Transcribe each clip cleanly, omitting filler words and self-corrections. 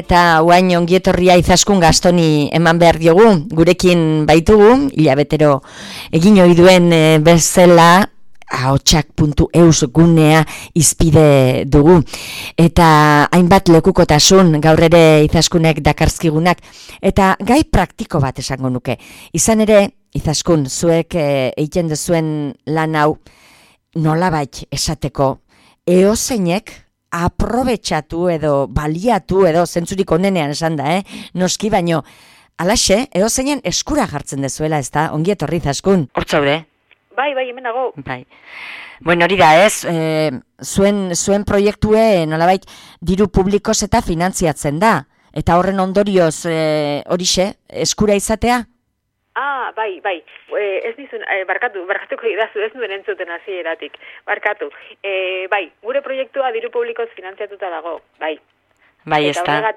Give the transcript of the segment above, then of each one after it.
Eta oain ongietorria Izaskun Gastoni eman behar diogu, gurekin baitugu, hilabetero egin ohi duen bezala, ahotsak.eus gunea izpide dugu. Eta hainbat lekukotasun gaur ere Izaskunek dakarzkigunak, eta gai praktiko bat esango nuke. Izan ere, Izaskun, zuek egiten duzuen lan hau nolabait esateko, eozeinek aprobetxatu edo baliatu edo zentzurik onenean esan da, noski baino, alaxe, eozeinen eskura jartzen dezuela, ez da, ongi etorri Izaskun. Hortzaude? Bai, hemen dago. Bai. Bueno, hori da, ez? Zuen proiektue nolabait diru publikoz eta finantziatzen da. Eta horren ondorioz horixe, eskura izatea? Bai. Ez dizun, barkatuko idazu, ez duen entzuten hasieratik. Barkatu. Bai, gure proiektua diru publikoz finantziatuta dago, bai. Bai, ez da.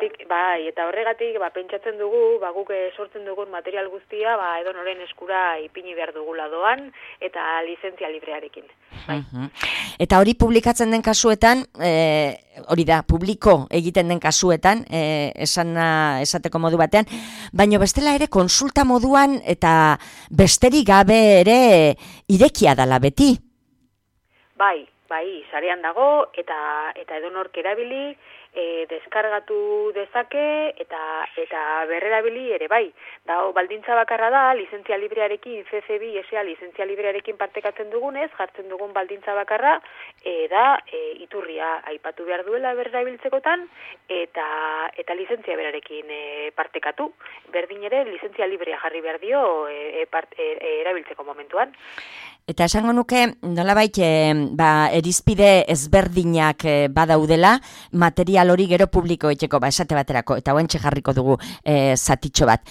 Eta horregatik, pentsatzen dugu, guk sortzen dugun material guztia, edonoren eskura ipini behar dugula doan, eta lizentzia librearekin. Bai. Eta hori publikatzen den kasuetan, hori da, publiko egiten den kasuetan, esateko modu batean, baino bestela ere konsulta moduan, eta besterik gabe ere irekia dala beti. Bai, sarean dago, eta edonork erabili, deskargatu dezake eta berrerabili ere bai. Baldintza bakarra da, lizentzia librearekin, CC2 SA lizentzia librearekin partekatzen dugunez, jartzen dugun baldintza bakarra, da iturria aipatu behar duela berrerabiltzekotan, eta lizentzia berarekin partekatu. Berdin ere, lizentzia librea jarri behar dio erabiltzeko momentuan. Eta esango nuke, nolabait, erizpide ezberdinak badaudela, material hori gero publiko etxeko, esate baterako, eta oentxe jarriko dugu zatitxo bat.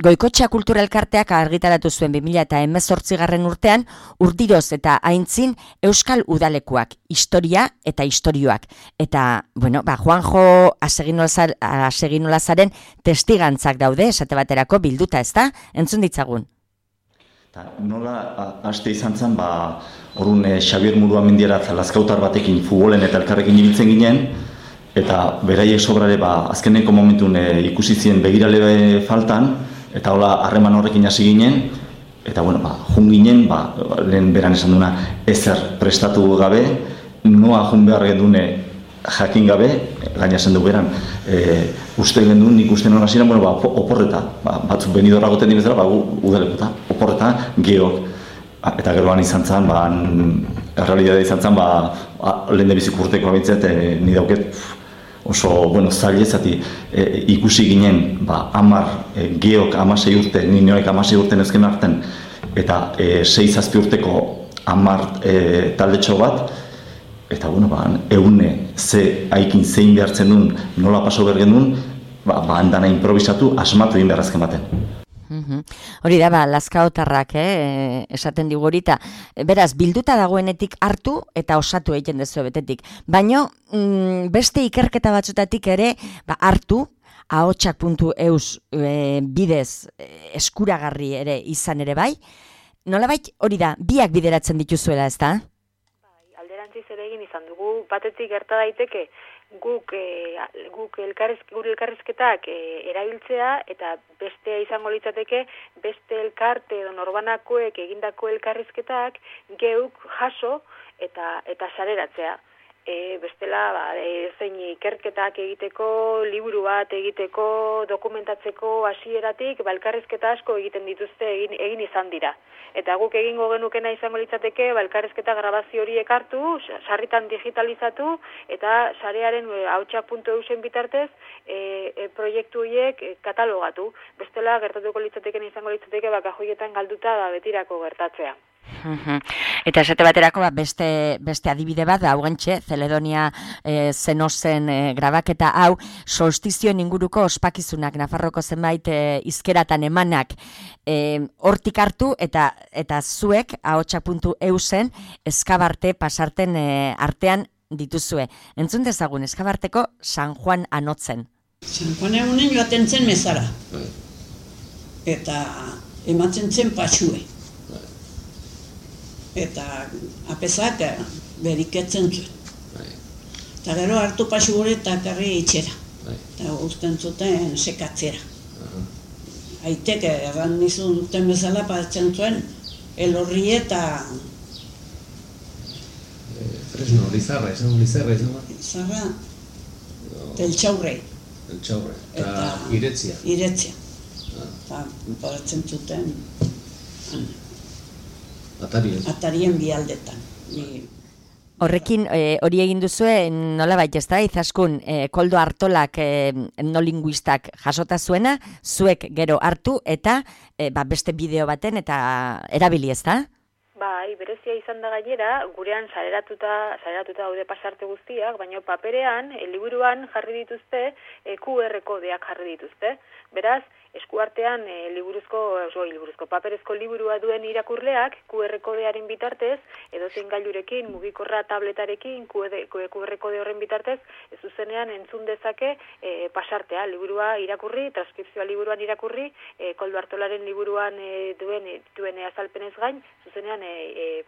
Goikotxea Kultura Elkarteak argitaratu zuen 2018 urtean, urdiroz eta aintzin Euskal Udalekuak, historia eta istorioak. Eta, Juanjo Aseginolazaren testigantzak daude, esate baterako bilduta, ezta? Entzun ditzagun. Nola haste izan zen, orrun Xabier Muruamendiara Lazkautar batekin futbolen eta elkarrekin ibiltzen ginen, eta beraiek sobrare azkeneko momentun ikusi zien begirale faltan, eta hola harreman horrekin hasi ginen, eta jun ginen, lehen beran esan duna ezer prestatu gabe, noa jun behar gendune jakin gabe, gaina esan du beran, uste gendun, nik uste nola ziren, oporreta, batzuk benidorra goten dibezera, udalekuta, oporreta, geok. Eta geroan izan zen, errealidade izan zen, lehen debizik urteko abintzet, ni dauket oso, zaila zati, ikusi ginen, 10 geok 16 urte, nioek 16 urte nezken arten, eta 6-7 urteko 10 taldetxo bat, eta eune ze haikin zein behartzen duen, nola paso bergen duen, handana improvisatu, asmatu egin beharrazken baten. Hori da, Lazkaotarrak, esaten digu hori, beraz, bilduta dagoenetik hartu eta osatu egiten dezu betetik. Baina, beste ikerketa batzutatik ere, hartu, ahotsak.eus bidez eskuragarri ere izan ere bai, nolabait hori da, biak bideratzen dituzuela, ez da? Zer egin izan dugu, batetik gerta daiteke gure elkarrizketak erabiltzea eta beste izango litzateke beste elkarte edo norbanakoek egindako elkarrizketak geuk jaso eta sareratzea. Bestela, zein ikerketak egiteko, liburu bat egiteko, dokumentatzeko hasieratik, elkarrizketa asko egiten dituzte egin izan dira. Eta guk egingo genukena izango litzateke, elkarrizketa grabazio horiek hartu, sarritan digitalizatu, eta sarearen ahotsak.eusen bitartez proiektu horiek katalogatu. Bestela, gertatuko litzateken izango litzateke, kajoietan galduta betirako gertatzea. Eta esate baterako beste adibide bat da, gantxe, Zeledonia Zenosen grabaketa hau, solstizioen inguruko ospakizunak, Nafarroko zenbait izkeratan emanak hortik hartu, eta zuek ahotsak.eusen eskabarte pasarten artean dituzue. Entzun dezagun, eskabarteko San Juan Anotzen. San Juan egunen joaten zen mezara, eta ematzen zen pasue. Eta apezak beriketzen zuen. Eta gero hartu pasu gure eta karri itxera. eta usten zuten sekatzera. Aiteke, erran nizun duten bezala patzen zuen, elorri eta... Fresno, Lizarra, Lizarra. Lizarra, Teltxaurrei. Eta Iretzia. Iretzia. Eta patzen zuten atarien bialdetan. Horrekin, hori egin duzue, nolabait ez da, Izaskun, Koldo Artolak etnolinguistak jasota zuena, zuek gero hartu eta beste bideo baten eta erabili ez da? Bai, berezia izan da gainera, gurean saleratuta daude pasarte guztiak, baina paperean, liburuan jarri dituzte, QR kodeak jarri dituzte. Beraz, eskuartean liburuzko paperezko liburua duen irakurleak QR kodearen bitartez, edozein gailurekin, mugikorra tabletarekin, QR kode horren bitartez, ez zuzenean entzun dezake pasartea, liburua irakurri, transkripzioa liburuan irakurri, Koldo Artolaren liburuan duen azalpenez gain, zuzenean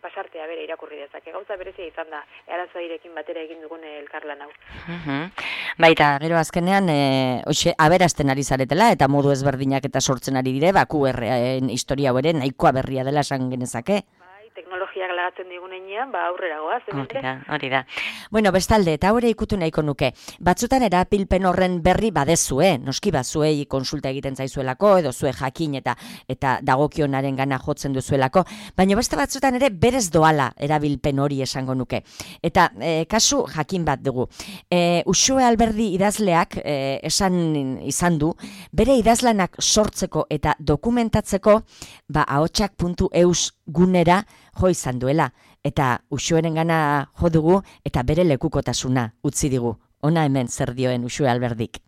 pasartea bere irakurri dezake. Gauza berezia izan da, Arantzadirekin batera egin dugun elkarlan hau. Baita, gero azkenean, aberasten ari zaretela, eta modu ezberdinak eta sortzen ari dire, QR-en historia hori nahikoa berria dela esan genezake. Teknologiak lagatzen digunean, aurrera goaz. Hori da. Bueno, bestalde, eta hori ikutu nahiko nuke. Batzutan erapilpen horren berri badezue, noski zuei konsulta egiten zaizuelako, edo zue jakin eta dagokionaren gana jotzen duzuelako, baina beste batzutan ere berez doala erabilpen hori esango nuke. Eta kasu jakin bat dugu. Uxue Alberdi idazleak esan izan du, bere idazlanak sortzeko eta dokumentatzeko ahotsak.eus gunera jo izan duela, eta Uxueren gana jo dugu eta bere lekukotasuna utzi digu. Ona hemen zer dioen Uxue Alberdik.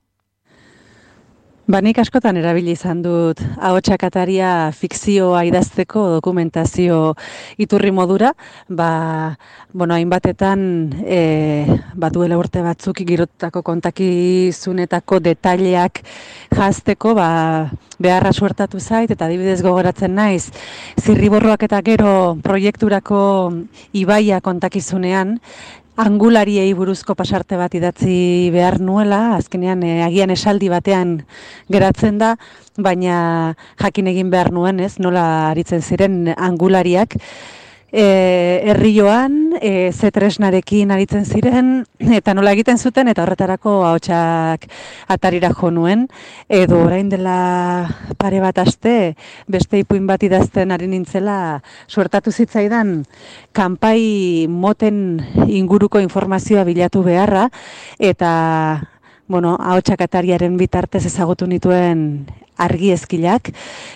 Nik askotan erabili izan dut ahotsak ataria fikzioa idazteko dokumentazio iturri modura, hainbatetan duela urte batzuk girotako kontakizunetako detaileak jazteko beharra suertatu zait, eta adibidez gogoratzen naiz Zirriborroak eta gero proiekturako ibaia kontakizunean, angulariei buruzko pasarte bat idatzi behar nuela, azkenean agian esaldi batean geratzen da, baina jakin egin behar nuen, nola aritzen ziren angulariak. Herrioan, ze tresnarekin aritzen ziren, eta nola egiten zuten, eta horretarako ahotsak atarira jo nuen, edo orain dela pare bat aste, beste ipuin bat idazten ari nintzela, suertatu zitzaidan, kanpai moten inguruko informazioa bilatu beharra, eta ahotsak atariaren bitartez ezagutu nituen argiezkilak,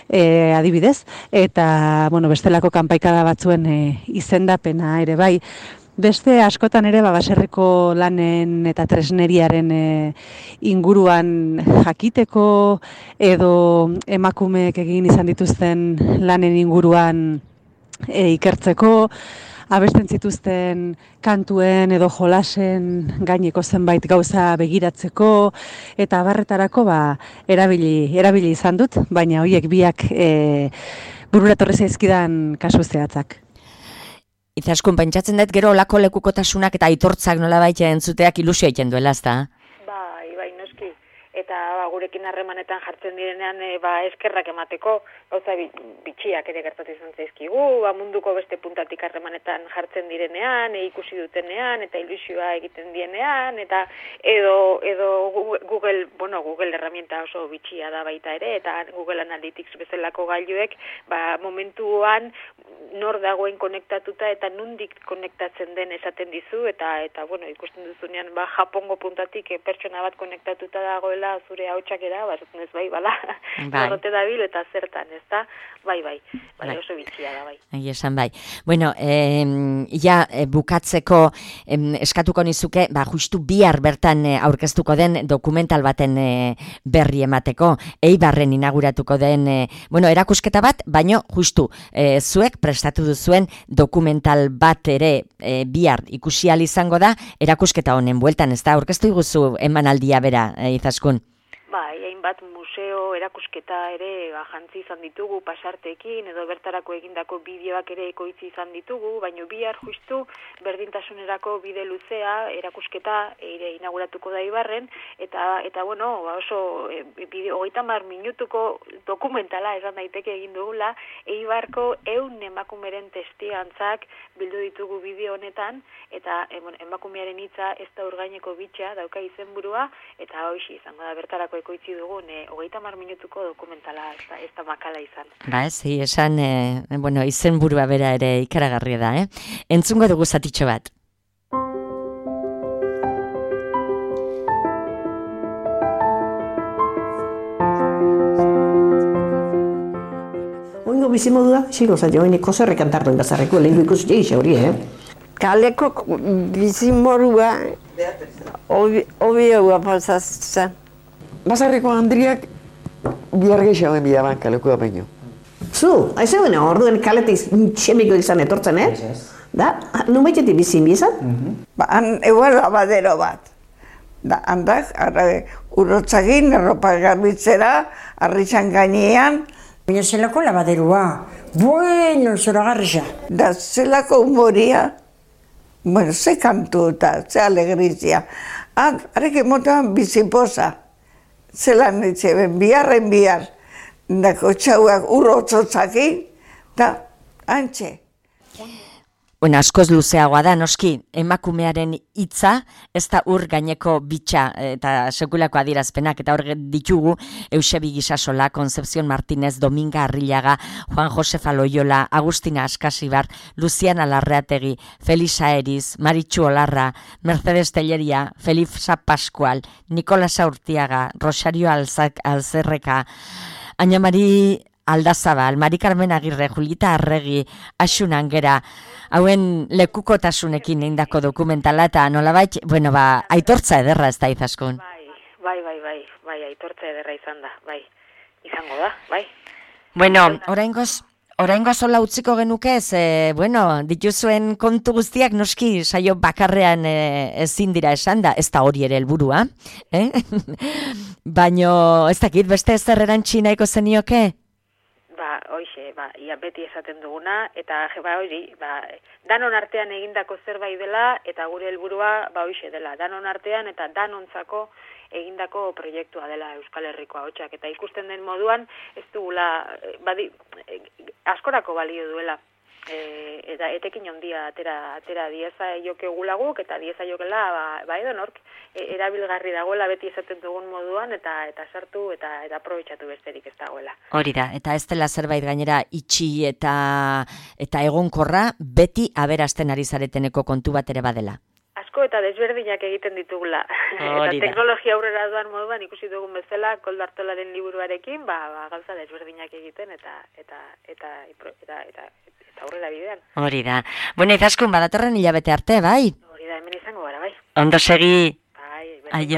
adibidez, eta bestelako kanpaikada batzuen izendapena ere bai. Beste askotan ere baserriko lanen eta tresneriaren inguruan jakiteko, edo emakumeek egin izan dituzten lanen inguruan ikertzeko, abesten zituzten kantuen edo jolasen gaineko zenbait gauza begiratzeko, eta abarretarako erabili izan dut, baina horiek biak burura torri zaizkidan kasu zehatzak. Izaskun, pentsatzen dut gero olako lekukotasunak eta aitortzak nolabait entzuteak ilusio egiten duela, ezta? Bai, noski. Eta gurekin harremanetan jartzen direnean eskerrak emateko, gauza bitxiak ere gertatu izan zaizkigu, munduko beste puntatik harremanetan jartzen direnean, ikusi dutenean, eta ilusioa egiten dienean, eta edo Google herramienta oso bitxia da baita ere, eta Google Analytics bezalako gailuek, momentuan nor dagoen konektatuta eta nundik konektatzen den esaten dizu, eta ikusten duzunean Japongo puntatik pertsona bat konektatuta dagoela zure ahotskera, esaten ez horrote dabil eta zertan, ezta? Bai, oso bitxia da, bai. Esan bai. Bueno, bukatzeko eskatuko nizuke, justu bihar bertan aurkeztuko den dokumental baten berri emateko, Eibarren inauguratuko den, erakusketa bat, baino justu zuek prestatu duzuen dokumental bat ere bihar ikusi ahal izango da, erakusketa honen bueltan, ezta? Aurkeztu iguzu emanaldia bera, Izaskun. Bai, hainbat museo erakusketa ere jantzi izan ditugu pasarteekin edo bertarako egindako bideoak ere ekoitzi izan ditugu, baina bihar justu berdintasunerako bide luzea erakusketa ere inauguratuko da Eibarren eta bueno, oso 30 minutuko dokumentala esan daiteke egin dugula Eibarko 100 emakumeren testigantzak bildu ditugu bideo honetan eta emakumearen hitza ez da urgaineko bitxa dauka izenburua eta hoxe izango da bertarako ekoitzi dugun 30 minutuko dokumentala ez da makala izan. Ba, esan, izenburua bera ere ikaragarria da, Entzungo dugu zatitxo bat. Oingo bizimodua, xilo zailo, oineko zerre kantardoen bazarreko, lehenko ikusi egin hori, Kaleko bizimodua, obioa pasatzen. Bazarreko handriak bihar gehiagoen bidaban kalekua baino. Zu, haizeuen orduen kaletik txemiko izan etortzen, Da, nun baitetik bizin bizan? Han egual abadero bat. Da, handak, urotzagin, erropa garbitzera, arrizan gainean. Baina zelako labaderoa, bueno, zoragarria. Da, zelako humoria, bueno, ze kantu eta ze alegrizia. Arek emotan bizipoza. Zelan etxeben, biharren bihar, dako txauak urrotzotzaki, eta antxe. Bueno, askoz luzeagoa da, noski, emakumearen hitza, ez da ur gaineko bitxa eta sekulako adierazpenak, eta hor ditugu Eusebi Gisasola, Concepción Martínez, Dominga Arrillaga, Juan Josefa Loyola, Agustina Askasibar, Luciana Larreategi, Felisa Eriz, Maritxu Olarra, Mercedes Telleria, Felisa Pascual, Nicolasa Urtiaga, Rosario Alzerreka, Aina Mari Aldazabal, Mari Carmen Agirre, Julita Arregi, Asun Angera, hauen lekukotasunekin eindako dokumentala eta nolabait, aitortza ederra ez da Izaskun. Bai, aitortza ederra izan da, bai, izango da, bai. Bueno, oraingoz hola utziko genuke ez, dituzuen kontu guztiak noski saio bakarrean ezin dira esan da, ez da hori ere helburua, Baino, ez dakit, beste ezer erantzi nahiko zenioke? Ia beti esaten duguna, eta danon artean egindako zerbait dela, eta gure helburua hoxe dela, danon artean eta danontzako egindako proiektua dela Euskal Herriko Ahotsak, eta ikusten den moduan ez dugula, askorako balio duela. Eta etekin ondia atera dieza jokegulaguk eta dieza jokela edonork erabilgarri dagoela beti esaten dugun moduan eta sartu eta aprobetxatu besterik ez dagoela. Hori da, eta ez dela zerbait gainera itxi eta egonkorra beti aberasten ari zareteneko kontu bat ere badela. Asko eta desberdinak egiten ditugula. Eta teknologia aurrera doan moduan ikusi dugun bezala Koldartolaren liburuarekin gauza desberdinak egiten eta aurrera bidean. Hori da. Bueno, Izaskun, badatorren hilabete arte, bai? Hori da, hemen izango gara, bai. Ondo segi. Bai, aio.